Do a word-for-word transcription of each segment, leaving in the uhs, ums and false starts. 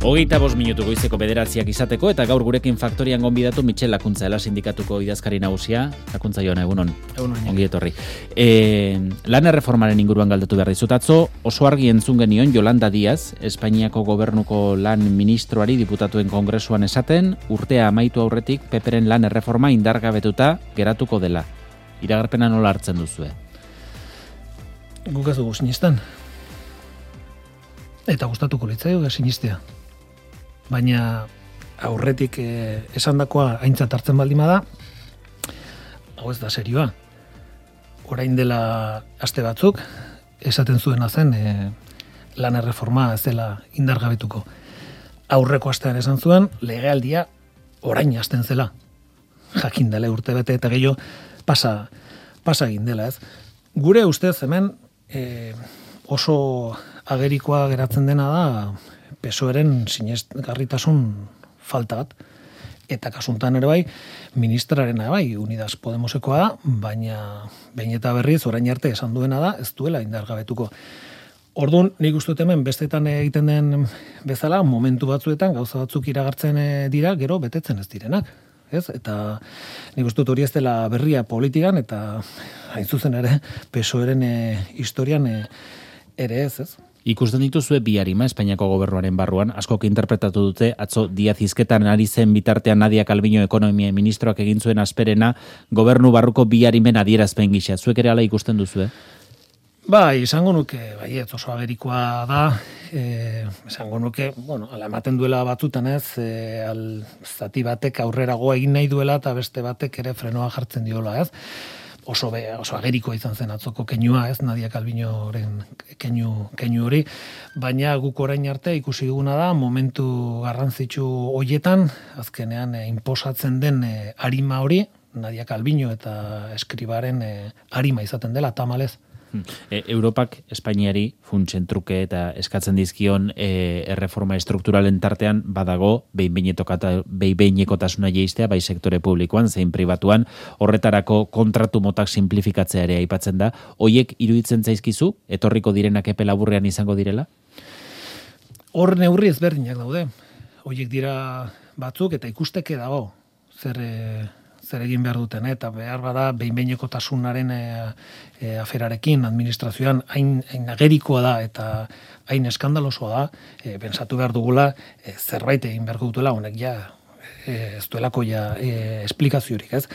Hogeita bost minutu goizeko bederatziak izateko eta gaur gurekin faktorian gonbidatu Mitxel Lakuntza, Ela sindikatuko idazkari nagusia. Lakuntza joan, egunon. Egunon. Ongi etorri. E, lan erreformaren inguruan galdatu behar dizut. Atzo oso argi entzun genion Yolanda Díaz, Espainiako gobernuko lan ministroari diputatuen kongresuan esaten, urtea amaitu aurretik Peperen lan erreforma indargabetuta geratuko dela. Iragarpena nola hartzen duzue? Guk ez dugu sinistan. Eta gustatuko litzaioke sinistea. Baina aurretik eh, esandakoa aintzat hartzen baldin bada, hau ez da serioa. Orain dela aste batzuk, esaten zuena zen eh, lan erreforma ez dela indargabetuko. Aurreko astean esan zuen, legealdia orain hasten zela. Jakin dela urte bete eta gehiago pasa, pasa egin dela, ez. Gure ustez hemen eh, oso agerikoa geratzen dena da P S O Eren sinesgarritasun falta bat. Eta kasuntan ere bai, ministrarena bai, Unidas Podemosekoa da, baina behin eta berriz orain arte esan duena da, ez duela indargabetuko. Orduan, nik uste dut hemen bestetan egiten den bezala, momentu batzuetan gauza batzuk iragartzen dira, gero betetzen ez direnak. Ez? Eta nik uste dut hori ez dela berria politikan, eta hain zuzen ere, P S O Eren e, historian e, ere ez, ez? Ikusten dituzue bi arima Espainiako gobernuaren barruan, askok interpretatu dute, atzo Díaz hizketan ari zen bitartean Nadia Calviño ekonomia ministroak egin zuen asperena, gobernu barruko bi arimen adierazpen gisa. Zuek ere hala ikusten duzue? Bai, esango nuke, bai, ez oso agerikoa da, e, esango nuke, bueno, ala ematen duela batzutan ez, e, al zati batek aurrerago egin nahi duela eta beste batek ere frenoa jartzen diola, ez? Oso, be, oso ageriko izan zen atzoko keinua, ez, Nadia Calviñoren keinu, keinu hori, baina guk orain arte ikusi duguna da, momentu garrantzitsu hoietan, azkenean e, inposatzen den e, arima hori, Nadia Calviño eta Eskribaren e, arima izaten dela, tamalez. E, Europak Espainiari funtsen truke eta eskatzen dizkion e, erreforma estrukturalen tartean badago behin-behinekotasuna jeistea bai sektore publikoan zein pribatuan, horretarako kontratu motak simplifikatzea ere aipatzen da. Hoiek iruditzen zaizkizu etorriko direnak epe laburrean izango direla? Hor neurri ezberdinak daude. Hoiek dira batzuk eta ikusteke dago zer e, zer egin behar duten, eta behar bada behin-behinekotasunaren e, e, aferarekin administrazioan hain, hain agerikoa da eta hain eskandalosoa da, e, pensatu behar dugula e, zerbait egin behar dutela, honek ja e, ez duelako ja e, esplikaziorik, ez?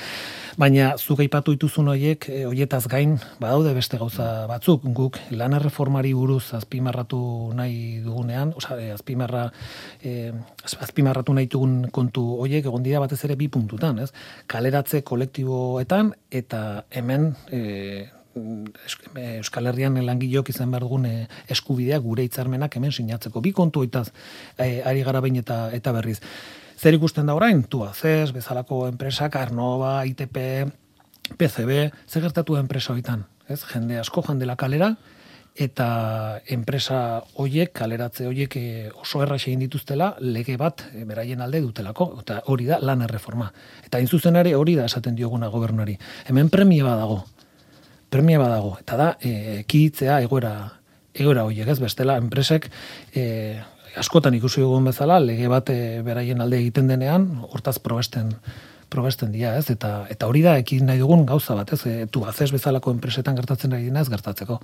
Baina zuk aipatu dituzun horiek, e, horietaz gain, badaude beste gauza batzuk, guk lan erreformari buruz azpimarratu nahi dugunean, oza, e, azpimarra, e, azpimarratu nahi dugun kontu horiek egon dira batez ere bi puntutan, ez? Kaleratze kolektiboetan eta hemen e, Euskal Herrian langilok izan behar dugun e, eskubideak gure hitzarmenak hemen sinatzeko. Bi kontu hoitaz e, ari gara behin eta, eta berriz. Zer ikusten da orain? Tubacex, bezalako enpresak, Arnova, I T P, P C B, zer gertatu enpresa hoitan? Ez? Jende asko joan dela kalera, eta enpresa hoiek, kaleratze hoiek oso erraxe egin dituztela, lege bat e, beraien alde dutelako, eta hori da lan erreforma. Eta hain zuzen ere hori da esaten dioguna gobernari. Hemen premia badago, premia badago, eta da, e, ekiditzea egoera, egoera hoiek, ez bestela, enpresek, e, askotan ikusi dugun bezala, lege bat e, beraien alde egiten denean, hortaz probesten, probesten dira, ez? Eta, eta hori da, ekin nahi dugun gauza bat, ez? E, Tubacex bezalako enpresetan gertatzen ari dina ez gertatzeko.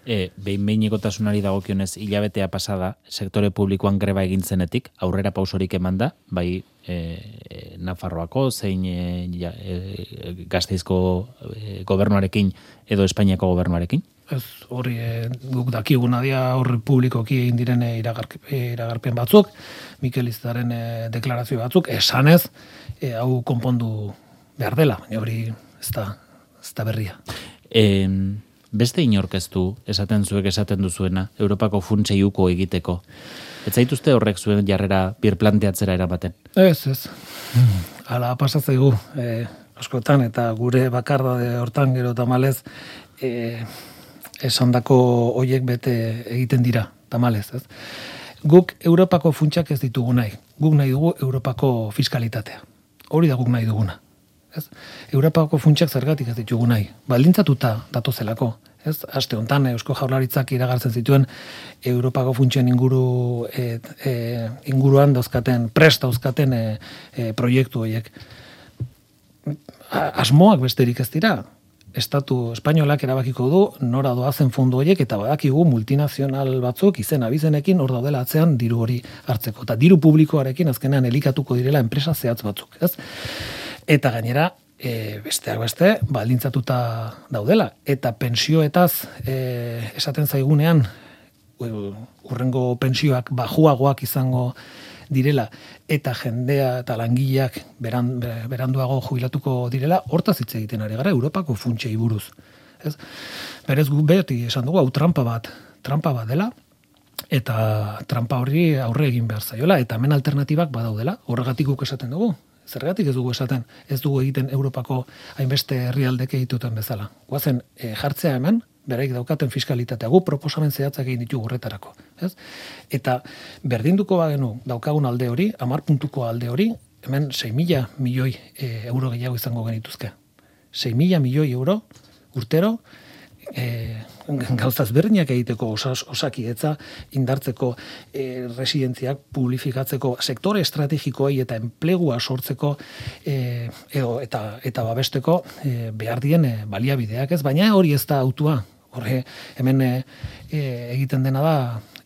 E, behin-behinekotasunari dagokionez hilabetea pasada, sektore publikoan greba egin zenetik, aurrera pausorik eman da, bai e, Nafarroako, zein e, ja, e, Gasteizko e, gobernuarekin edo Espainiako gobernuarekin? Ez, hori e, guk dakiguna dira horri publikoki egin diren e, iragar, e, iragarpen batzuk, Mikel Iztaren e, deklarazio batzuk, esanez, e, hau konpondu behar dela, baina hori ez da, ez da berria. E, beste inorkeztu, esaten zuek esaten duzuena, Europako funtsei uko egiteko. Ez zaituzte horrek zuen jarrera birplanteatzera eramaten? Ez, ez. Hala pasatzaigu e, askotan, eta gure bakarda de hortan gero tamalez, e, esandako hoiek bete egiten dira, tamalez, ez? Guk Europako funtsak ez ditugu nahi. Guk nahi dugu Europako fiskalitatea. Hori da guk nahi duguna. Ez? Europako funtsak zergatik ez ditugu nahi. Baldintzatuta datozelako. Ez, aste hontan Eusko Jaurlaritzak iragartzen zituen Europako funtsen inguru e, e, inguruan dauzkaten, prest dauzkaten e, e, proiektu horiek. Asmoak besterik ez dira. Estatu espainolak erabakiko du nora doazen fondo horiek eta badakigu multinazional batzuk izen abizenekin hor daudela atzean diru hori hartzeko. Eta diru publikoarekin azkenean elikatuko direla enpresa zehatz batzuk. Ez? Eta gainera, E, besteak beste, baldintzatuta daudela. Eta pensioetaz e, esaten zaigunean, urrengo pensioak bajuagoak izango direla, eta jendea eta langileak beran, beranduago jubilatuko direla, hortaz hitz egiten ari gara, Europako funtsei buruz. Ez? Berez gu beti esan dugu, hau trampa bat, trampa bat dela, eta trampa horri aurre egin behar zaiola, eta hemen alternatibak badaudela, horregatik guk esaten dugu. Zergatik ez dugu esaten, ez dugu egiten Europako hainbeste herrialdek egituten bezala. Guazen e, jartzea hemen, beraik daukaten fiskalitatea, gu proposamen zehatzak egin ditugu horretarako. Ez? Eta berdinduko bagenu daukagun alde hori, hamar puntuko alde hori, hemen sei mila milioi e, euro gehiago izango genituzke. sei mila milioi euro urtero, e, gauzaz berdinak egiteko osas, osakidetza indartzeko e, residentziak publifikatzeko sektore estrategikoei eta enplegua sortzeko e, edo, eta, eta babesteko e, behar dien e, baliabideak ez, baina hori ez da autua. Horre, hemen e, e, egiten dena da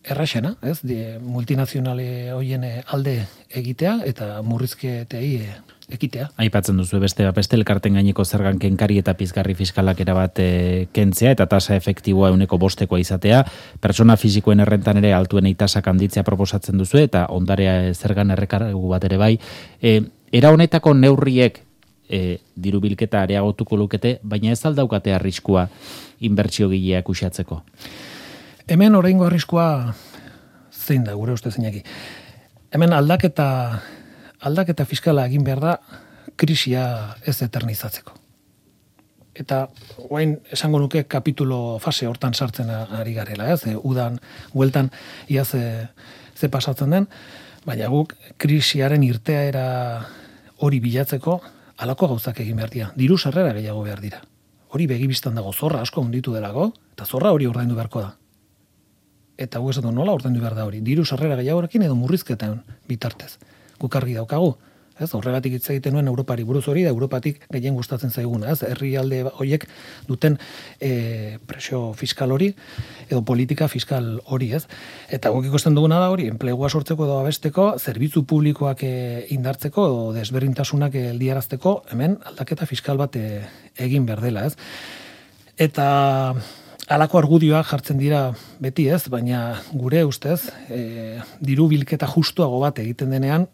erraxena, ez? Die, multinazionale hoien alde egitea eta murrizketei e, ekitea. Aipatzen duzu beste beste elkarten gaineko zergan kenkari eta pizgarri fiskalak erabat e, kentzea eta tasa efektiboa ehuneko bostekoa izatea, pertsona fisikoen errentan ere altuenei tasak handitzea proposatzen duzu eta ondarea zergan errekargu bat ere bai. E, era honetako neurriek e, diru bilketa areagotuko lukete, baina ez aldaukate arriskua inbertsio gileak uxatzeko. Hemen oraingo arriskua zein da gure ustez Iñaki. Hemen aldaketa aldaketa fiskala egin behar da krisia ez eternizatzeko. Eta orain esango nuke kapitulo fase hortan sartzen ari garela, ez? Udan bueltan ia ze, ze pasatzen den, baina guk krisiaren irteera hori bilatzeko halako gauzak egin behar dira. Diru sarrera gehiago behar dira. Hori begibistan dago, zorra asko hunditu delako, eta zorra hori ordaindu beharko da. Eta gu esatu nola ordaindu behar da hori. Diru sarrera gehiagorekin edo murrizketan bitartez. Guk argi daukagu, ez? Horregatik hitz egiten nuen Europari buruz hori da Europatik gehien gustatzen zaiguna, ez? Herrialde horiek duten e, presio fiskal hori edo politika fiskal hori, ez? Eta guk ikusten duguna da hori, enplegua sortzeko edo abesteko, zerbitzu publikoak e, indartzeko edo desberdintasunak geldiarazteko, hemen aldaketa fiskal bat e, egin behar dela, ez? Eta halako argudioak jartzen dira beti, ez? Baina gure ustez, e, diru bilketa justuago bat egiten denean,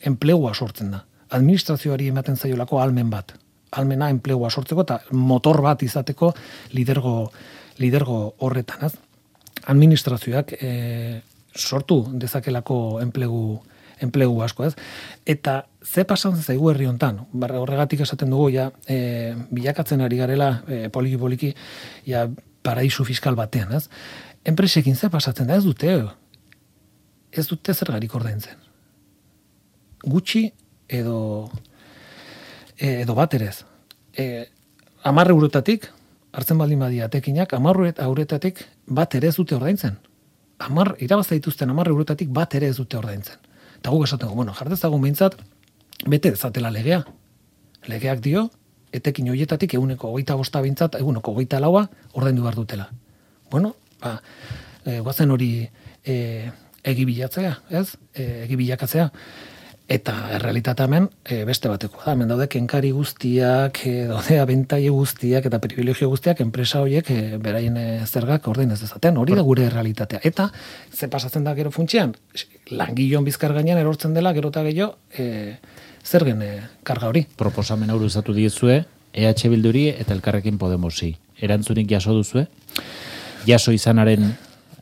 enplegua sortzen da. Administrazioari ematen zaiolako almen bat. Almena enplegua sortzeko eta motor bat izateko lidergo, lidergo horretan. Ez? Administrazioak e, sortu dezakelako enplegu, enplegu asko. Ez? Eta ze pasan zaigu herri hontan? Horregatik esaten dugu, ja, e, bilakatzen ari garela e, poliki-poliki ja, paraisu fiskal batean. Ez? Enpresekin ze pasatzen da? Ez dute, ez dute zergarik ordaintzen. Gutxi edo edo bat erez. E, amar eurotatik, hartzen baldin badia tekinak, amar euretatik bat ere ez dute ordaintzen. Amar, irabazta dituzten amar eurotatik bat ere ez dute ordaintzen. Eta guk esaten, bueno, jartezagun behintzat, bete dezatela legea. Legeak dio, etekin horietatik eguneko hogeita bosta behintzat, eguneko hogeita laua ordaindu behar dutela. Bueno, ba, e, guazen hori e, egibilatzea, ez? E, egibilakatzea. Eta errealitatea hemen e, beste bateko da. Hemen daude kenkari guztiak, e, daude abentaile guztiak eta privilegio guztiak enpresa horiek e, beraien e, zergak ordain ez dezaten. Hori da gure errealitatea. Eta ze pasatzen da gero funtsian, langileon bizkar gainean erortzen dela gero eta gehiago e, zergen e, karga hori. Proposamen hau luzatu diezue E H Bilduri eta Elkarrekin Podemosi. Erantzunik jaso duzue? Jaso izanaren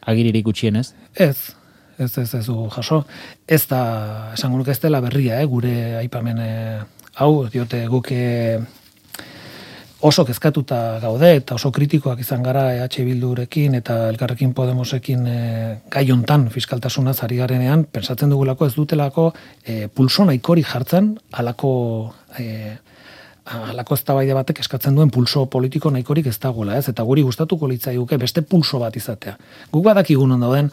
agiririk gutxienez? Ez. Ez, ez, ez du jaso. Ez da, esango nuke ez dela berria, eh, gure aipamen eh, hau, diote guk eh, oso kezkatuta gaude eta oso kritikoak izan gara E H Bildurekin eta Elkarrekin Podemosekin eh, gai hontan fiskaltasunaz ari garenean, pensatzen dugulako ez dutelako eh, pulso nahikori jartzen halako eh, halako eztabaida batek eskatzen duen pulso politiko nahikorik ez dagoela, ez? Eta guri gustatuko litzaiguke beste pulso bat izatea. Guk badakigun on dauden,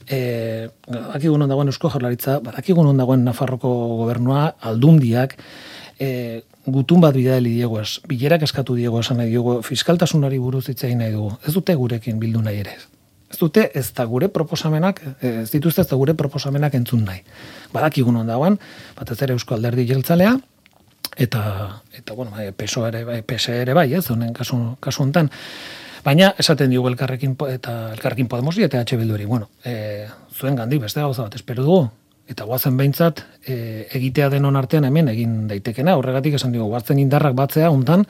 eh, badakigun on dagoen Eusko Jaurlaritza, badakigun on dagoen Nafarroko gobernua, aldundiak, eh, gutun bat bidali diego ez, bilerak eskatu diego esan nahi diego, fiskaltasunari buruz hitz egin nahi dugu. Ez dute gurekin bildu nahi ere. Ez dute ez da gure proposamenak, ez dituzte ez da gure proposamenak entzun nahi. Badakigun on dagoen, batez ere Eusko Alderdi Jeltzalea, eta eta bueno, P S O E ere bai, P S E ere bai, ez, honen kasu kasu hontan. Baina esaten diogu elkarrekin eta elkarrekin Podemosi eta H Bilduri, bueno, eh zuen gandik beste gauza bat espero dugu eta goazen behintzat e, egitea denon artean hemen egin daitekena, horregatik esan dugu goazen indarrak batzea hontan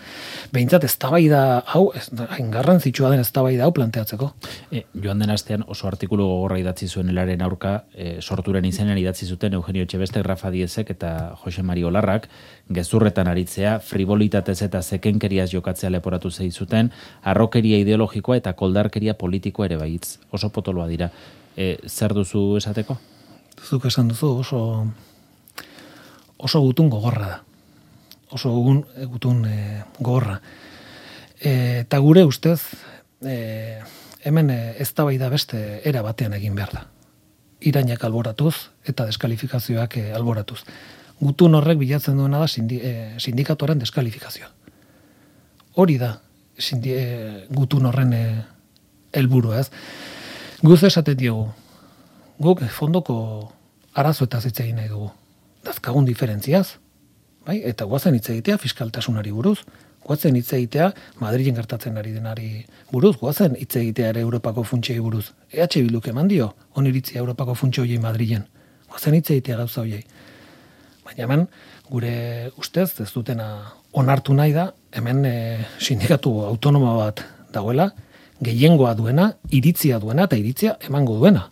behintzat eztabaida hau, ez hain garrantzitsua den eztabaida hau planteatzeko. E, joan den astean oso artikulu gogorra idatzi zuen elaren aurka, e, sorturen izenean idatzi zuten Eugenio Etxebeste, Rafa Diezek eta Jose Mari Olarrak, gezurretan aritzea, frivolitatez eta zekenkeriaz jokatzea leporatu zeizuten, arrokeria ideologikoa eta koldarkeria politikoa ere baitz. Oso potoloa dira. E, zer duzu esateko? Zuk esan duzu oso oso gutun gogorra da. Oso gutun, gutun e, gogorra. E, eta gure ustez e, hemen e, eztabaida beste era batean egin behar da. Irainak alboratuz eta deskalifikazioak e, alboratuz. Gutun horrek bilatzen duena da sindi, e, sindikatuaren deskalifikazioa. Hori da sindi, e, gutun horren e, helburua, ez? Guz esaten diogu, guk fondoko arazoetaz hitz egin nahi dugu. Dazkagun diferentziaz, bai? Eta guazen hitz egitea fiskaltasunari buruz, guazen hitz egitea Madrilen gertatzen ari denari buruz, guazen hitz egitea ere Europako funtsei buruz. E H Bilduk eman dio oniritzia Europako funtse hoiei Madrilen. Guazen hitz egitea gauza hoiei. Baina hemen gure ustez ez dutena onartu nahi da, hemen e, sindikatu autonoma bat dagoela, gehiengoa duena, iritzia duena eta iritzia emango duena.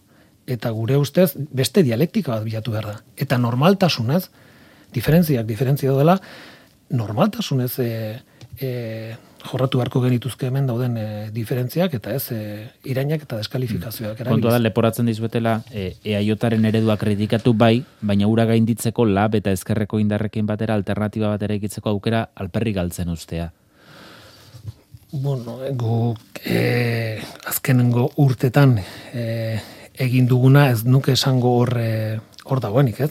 Eta gure ustez beste dialektika bat bilatu behar da. Eta normaltasunez, diferentziak diferentzia dela, normaltasunez e, e, jorratu beharko genituzke hemen dauden e, diferentziak eta ez e, irainak eta deskalifikazioak. Kontua da, leporatzen dizuetela, e, eaiotaren eredua kritikatu bai, baina ura gainditzeko lab eta ezkerreko indarrekin batera alternatiba batera ikitzeko aukera alperri galtzen ustea. Bueno, guk e, azkenengo urtetan e, egin duguna ez nuke esango hor e, hor dagoenik, ez?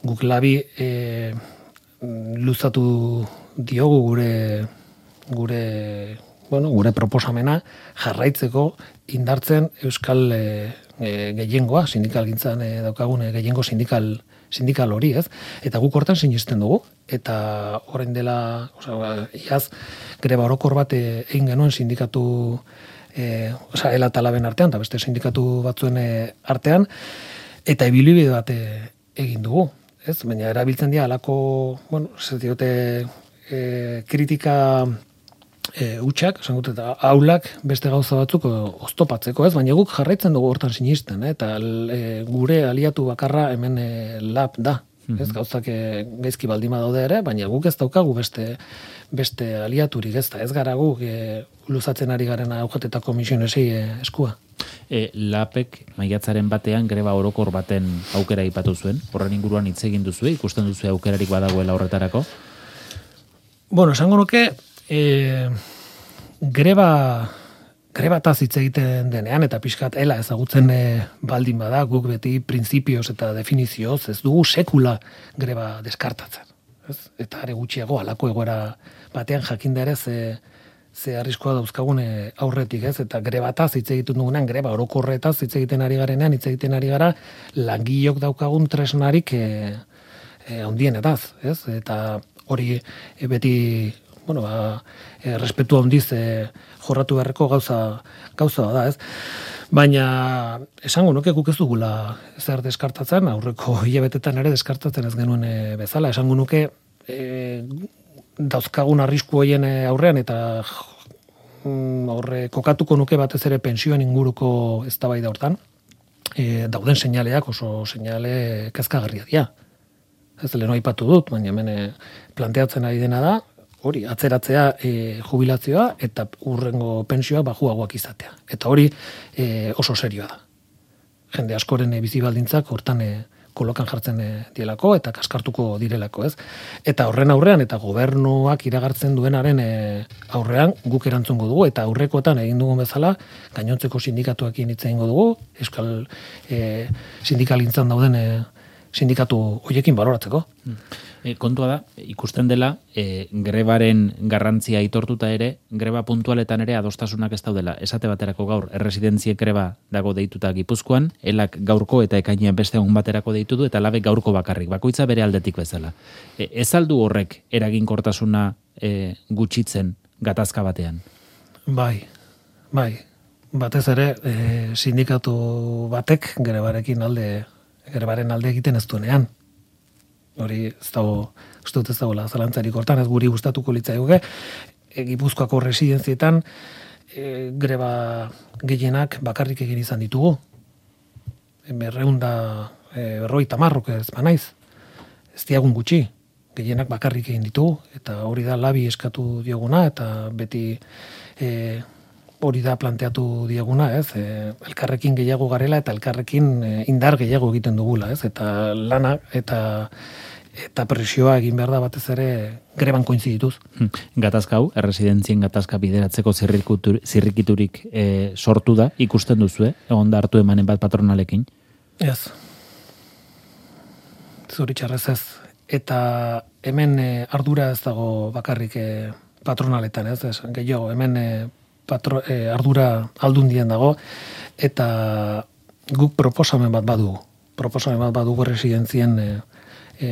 Guk labi e, luzatu diogu gure gure bueno, gure proposamena jarraitzeko indartzen euskal e, e, gehiengoa, sindikalgintzan e, daukagun e, gehiengo sindikal sindikal hori, ez? Eta guk hortan sinisten dugu eta orain dela, osea, iaz greba orokor bat e, egin genuen sindikatu E, oza, ela talaben artean, eta beste sindikatu batzuen e, artean, eta ibilbide bat e, egin dugu, ez? Baina erabiltzen dira alako, bueno, ez diote e, kritika e, utxak, esan gut, eta aulak beste gauza batzuk oztopatzeko, ez? Baina guk jarraitzen dugu hortan sinisten, eh? Eta e, gure aliatu bakarra hemen e, lab da. Ez gauzak gaizki baldima daude ere, baina guk ez daukagu beste beste aliaturik, ez da, ez gara guk e, luzatzen ari garen aujetetako misionesei e, eskua. E, lapek maiatzaren batean greba orokor baten aukera aipatu zuen, horren inguruan hitz egin duzue, ikusten duzue aukerarik badagoela horretarako? Bueno, esango nuke, e, greba grebataz hitz egiten denean, eta pixkat ela ezagutzen e, baldin bada, guk beti printzipioz eta definizioz, ez dugu sekula greba deskartatzen. Ez? Eta are gutxiago halako egoera batean jakinda ere ze, ze arriskoa dauzkagun e, aurretik, ez? Eta grebataz hitz egiten dugunean, greba orokorretaz hitz egiten ari garenean, hitz egiten ari gara, langilok daukagun tresnarik e, e, handienetaz, ez? Eta hori e, beti bueno, ba, e, respetu handiz e, jorratu beharreko gauza gauza da, ez? Baina esango nuke guk ez dugula zer deskartatzen, aurreko hilabetetan ere deskartatzen ez genuen e, bezala, esango nuke e, dauzkagun arrisku hoien aurrean eta mm, horre kokatuko nuke batez ere pensioen inguruko eztabaida hortan, e, dauden seinaleak oso seinale kezkagarria dira. Ez leheno aipatu dut, baina hemen e, planteatzen ari dena da, hori, atzeratzea e, jubilazioa eta urrengo pensioa bajuagoak izatea. Eta hori e, oso serioa da. Jende askoren e, bizi baldintzak hortan e, kolokan jartzen dielako eta kaskartuko direlako, ez? Eta horren aurrean eta gobernuak iragartzen duenaren aurrean guk erantzungo dugu eta aurrekoetan egin dugun bezala gainontzeko sindikatuekin hitz egingo dugu, Euskal e, sindikalintzan dauden e, sindikatu hoiekin baloratzeko. E, kontua da, ikusten dela, e, grebaren garrantzia aitortuta ere, greba puntualetan ere adostasunak ez daudela. Esate baterako gaur, erresidentziek greba dago deituta Gipuzkoan, elak gaurko eta ekainean beste egun baterako deitu du, eta labek gaurko bakarrik, bakoitza bere aldetik bezala. E, ez aldu horrek eraginkortasuna e, gutxitzen gatazka batean? Bai, bai. Batez ere, e, sindikatu batek grebarekin alde grebaren alde egiten ez duenean. Hori ez dago, uste dut ez dagoela zalantzarik hortan, ez guri gustatuko litzaiuke, e, Gipuzkoako residentzietan e, greba gehienak bakarrik egin izan ditugu. E, berreunda e, berroi tamarrok ez banaiz. Ez diagun gutxi, gehienak bakarrik egin ditugu, eta hori da labi eskatu dioguna, eta beti e, hori da planteatu dieguna, ez? E, elkarrekin gehiago garela eta elkarrekin e, indar gehiago egiten dugula, ez? Eta lana eta eta presioa egin behar da batez ere greban koinzidituz. Gatazka hau, erresidentzien gatazka bideratzeko zirrikiturik e, sortu da, ikusten duzu, eh? Egon da hartu emanen bat patronalekin? Ez. Zoritxarrez ez. Eta hemen e, ardura ez dago bakarrik e, patronaletan, ez? ez gehiago, hemen e, patro, e, ardura aldundien dago, eta guk proposamen bat badugu. Proposamen bat badugu residentzien e, e,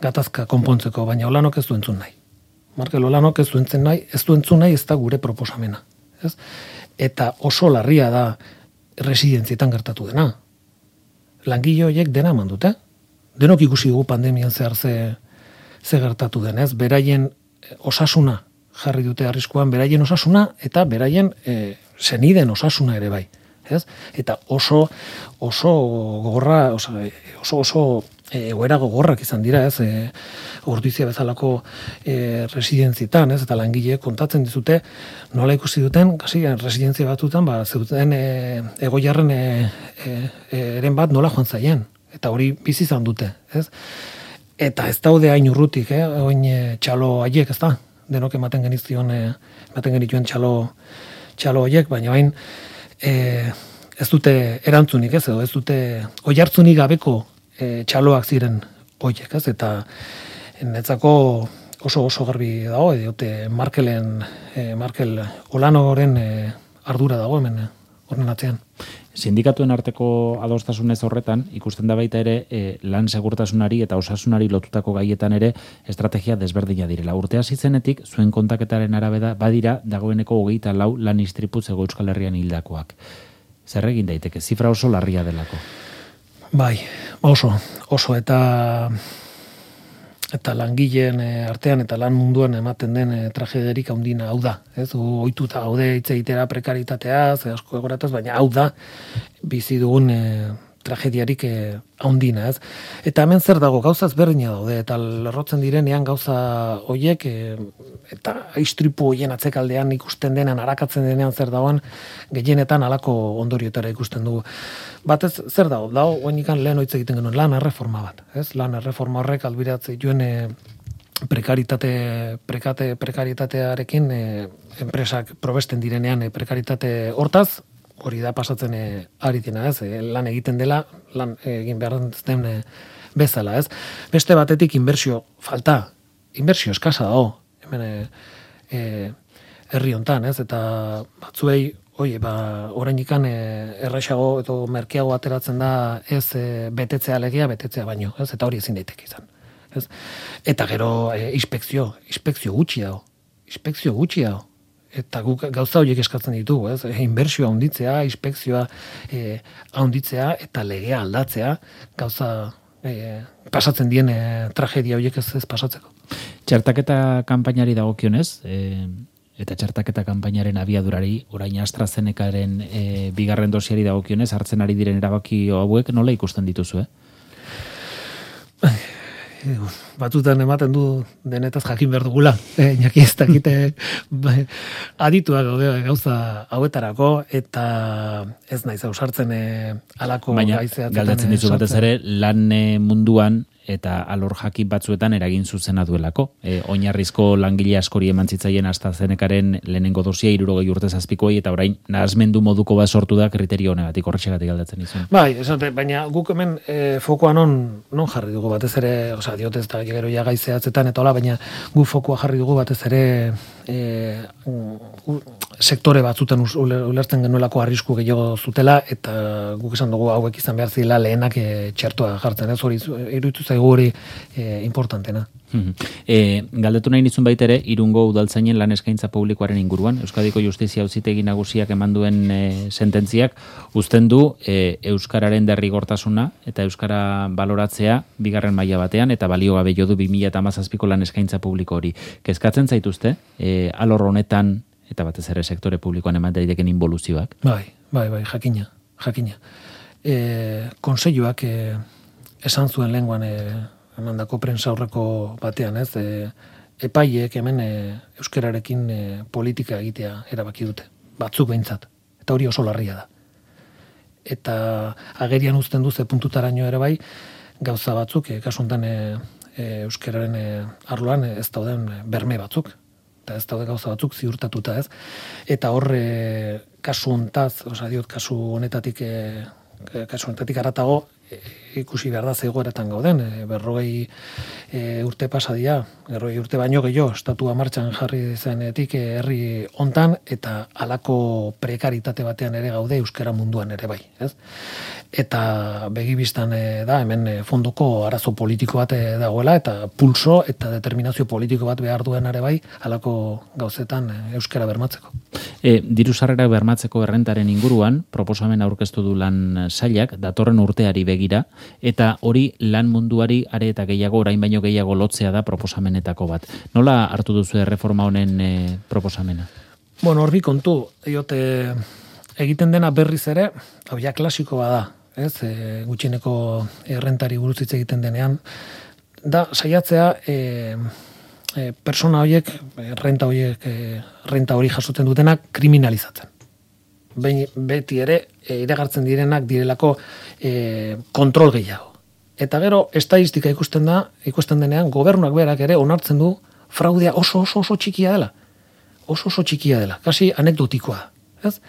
gatazka konpontzeko, baina Olanok ez du entzun nahi. Markel Olanok ez du entzun nahi, ez du entzun nahi ez da gure proposamena. Ez? Eta oso larria da residentzietan gertatu dena. Langile horiek dena eman dute. Denok ikusi dugu pandemian zehar ze, ze gertatu denez. Beraien osasuna jarri dute arriskuan, beraien osasuna eta beraien e, seniden osasuna ere bai. Ez? Eta oso oso gogorra, oso oso, oso egoera gogorrak izan dira, ez? E, Ordizia bezalako e, residentzietan, ez? Eta langileek kontatzen dizute nola ikusi duten, kasi residentzia batutan, ba zeuten e, egoiarren e, e, eren bat nola joan zaien. Eta hori bizi izan dute, ez? Eta ez daude hain urrutik, eh? Oin e, txalo haiek, ez da? Denok ematen genizion, e, ematen genituen txalo txalo haiek, baina hain e, ez dute erantzunik, ez? Edo ez dute oihartzunik gabeko e, txaloak ziren horiek, ez? Eta netzako oso oso garbi dago, diote Markelen, e, Markel Olanoren e, ardura dago hemen horren atzean. Sindikatuen arteko adostasunez horretan, ikusten da baita ere e, lan segurtasunari eta osasunari lotutako gaietan ere estrategia desberdina direla. Urtea zizenetik, zuen kontaketaren arabera badira dagoeneko hogeita lau lan istriputz ego Euskal Herrian hildakoak. Zer egin daiteke, zifra oso larria delako? Bai, oso, oso eta eta langileen artean eta lan munduan ematen den e, tragederik handina hau da. Ez, ohituta gaude hitz egitera prekaritateaz, asko egorataz, baina hau da bizi dugun e, tragediarik e, handina, ez? Eta hemen zer dago, gauza ezberdina daude, eta lerrotzen direnean gauza hoiek e, eta istripu hoien atzekaldean ikusten denean, arakatzen denean zer dagoen, gehienetan halako ondorioetara ikusten dugu. Batez, zer dago? Dago, oenikan lehen hitz egiten genuen, lan erreforma bat, ez? Lan erreforma horrek albiratzen dituen e, prekaritate, prekate, prekaritatearekin e, enpresak probesten direnean e, prekaritate hortaz, hori da pasatzen e, ari dena, ez? E, lan egiten dela, lan e, egin behar den e, bezala, ez? Beste batetik inbertsio falta, inbertsio eskasa dago, hemen e, e, herri hontan, ez? Eta batzuei, oie, ba, orainikan e, erraixago edo merkeago ateratzen da ez e, betetzea legia, betetzea baino, ez? Eta hori ezin daiteke izan, ez? Eta gero e, inspekzio, inspekzio gutxi dago, inspekzio gutxi dago. Eta guk gauza horiek eskatzen ditugu, ez? Inbertsioa handitzea, inspekzioa e, handitzea eta legea aldatzea, gauza e, pasatzen dien e, tragedia horiek ez, ez pasatzeko. Txertaketa kanpainari dagokionez, e, eta txertaketa kanpainaren abiadurari, orain AstraZenecaren e, bigarren dosiari dagokionez, hartzen ari diren erabaki hauek nola ikusten dituzu, eh? batzutan ematen du denetaz jakin behar dugula, e, inaki ez dakite adituak gaude gauza hauetarako, eta ez naiz ausartzen e, alako gaizeatzen. Baina, galdatzen dizu batez ere, lan munduan, eta alor jakin batzuetan eragin zuzena duelako. E, oinarrizko langile askori eman zitzaien AstraZenecaren lehenengo dosia hirurogei urte zazpikoi, eta orain nahasmendu moduko bat sortu da kriterio honegatik, horrexegatik aldatzen izan. Bai, esate, baina guk hemen e, fokoa non, non jarri dugu batez ere, osea, diotez eta gero ja gaizeatzetan eta hola, baina guk fokoa jarri dugu batez ere e, u, sektore batzutan ulertzen genuelako arrisku gehiago zutela, eta guk esan dugu hauek izan behar zila lehenak e, txertoa jartzen, ez hori iruditu zaigu hori e, importantena. E, galdetu nahi nizun baitere, Irungo udaltzainen lan eskaintza publikoaren inguruan, Euskadiko Justizia Auzitegi Nagusiak eman duen e, sententziak, uzten du e, Euskararen derrigortasuna eta Euskara baloratzea bigarren maila batean, eta balio gabe jo du bi mila hamazazpiko lan eskaintza publiko hori. Kezkatzen zaituzte, e, alor honetan, eta batez ere sektore publikoan eman daiteken involuzioak? Bai, bai, bai, jakina, jakina. E, konseilluak e, esan zuen lehenguan e, emandako prensa aurreko batean, ez, e, epaileek hemen e, euskararekin e, politika egitea erabaki dute, batzuk behintzat, eta hori oso larria da. Eta agerian uzten du ze puntutaraino ere bai, gauza batzuk, e, kasu honetan e, e, euskararen e, arloan e, ez dauden berme batzuk, eta ez daude gauza batzuk ziurtatuta, ez. Eta horre kasu hontaz, osea diot kasu honetatik e, kasu honetatik haratago e, ikusi behar da zegoeretan gauden, e, berrogei e, urte pasadia, berrogei urte baino gehiago, estatua martxan jarri zenetik e, herri hontan, eta halako prekaritate batean ere gaude euskara munduan ere bai, ez? Eta begibistan e, da, hemen e, fondoko arazo politiko bat e, dagoela, eta pulso eta determinazio politiko bat behar duen ere bai, halako gauzetan e, euskara bermatzeko. E, diru sarrerak bermatzeko errentaren inguruan, proposamen aurkeztu du lan sailak, datorren urteari begira, eta hori lan munduari are eta gehiago, orain baino gehiago lotzea da proposamenetako bat. Nola hartu duzu erreforma honen e, proposamena? Bueno, horri kontu, diote egiten dena berriz ere, hau ja klasiko bada, ez, e, gutxieneko errentari buruz hitz egiten denean, da saiatzea e, e, persona horiek, renta horiek, e, renta hori jasotzen dutenak kriminalizatzen. Behin, beti ere, e, iragartzen direnak direlako e, kontrol gehiago. Eta gero, estadistika ikusten da, ikusten denean, gobernuak berak ere onartzen du fraudea oso oso oso txikia dela. Oso oso txikia dela, kasi anekdotikoa, ez?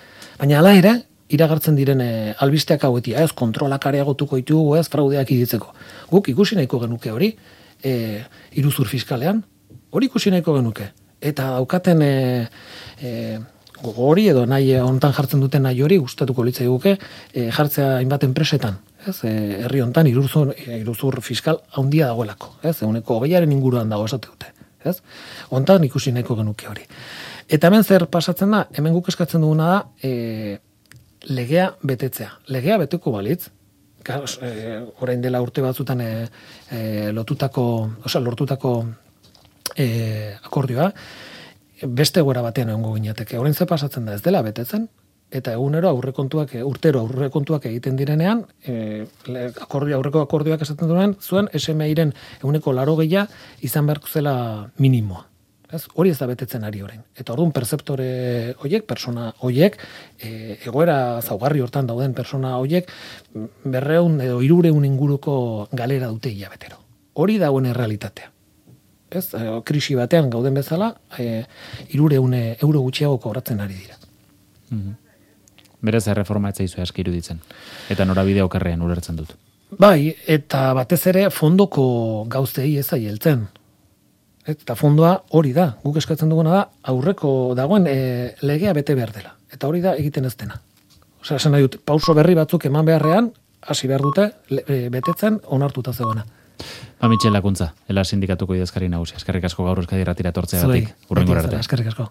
Baina hala ere, iragartzen diren e, albisteak hauetia, ez, kontrolak areagotuko ditugu, ez, fraudeak iditzeko. Guk ikusi nahiko genuke hori, e, iruzur fiskalean, hori ikusi nahiko genuke. Eta daukaten e, e, gogo hori edo nahi hontan jartzen duten nahi hori gustatuko litzai guke e, jartzea hainbat enpresetan, ez, e, herri hontan iruzur, e, iruzur fiskal handia dagoelako, ez, eguneko hogeiaren inguruan dago esate dute, ez, hontan ikusi nahiko genuke hori. Eta hemen zer pasatzen da, hemen guk eskatzen duguna da, e, legea betetzea. Legea beteko balitz, e, orain dela urte batzutan e, e, lotutako, osea, lortutako e, akordioa, beste gora batean egongo ginateke. Orain ze pasatzen da, ez dela betetzen, eta egunero aurrekontuak, urtero aurrekontuak egiten direnean, e, akordio, aurreko akordioak esaten duen, zuen S M I-ren eguneko laro gehia izan beharko zela minimoa. Ez? Hori ez da betetzen ari orain. Eta orduan perceptore hoiek, persona hoiek, e, egoera zaugarri hortan dauden persona hoiek, berreun edo hirureun inguruko galera dute hilabetero. Hori dagoen errealitatea. Ez? E, krisi batean gauden bezala, e, hirureun euro gutxiago kobratzen ari dira. Mm-hmm. Berez erreforma ez zaizu aski iruditzen. Eta norabide okerrean ulertzen dut. Bai, eta batez ere fondoko gauzei ez aieltzen. Eta fondoa hori da, guk eskatzen duguna da, aurreko dagoen e, legea bete behar dela. Eta hori da egiten ez dena. Osea, esan nahi dut, pauso berri batzuk eman beharrean, hasi behar dute, le, e, betetzen onartuta zegoena. Ba, Mitxel Lakuntza, Ela Sindikatuko idazkari nagusia. Eskerrik asko gaur Euskadi Irratira etortzeagatik. Hurrengo arte. Eskerrik asko.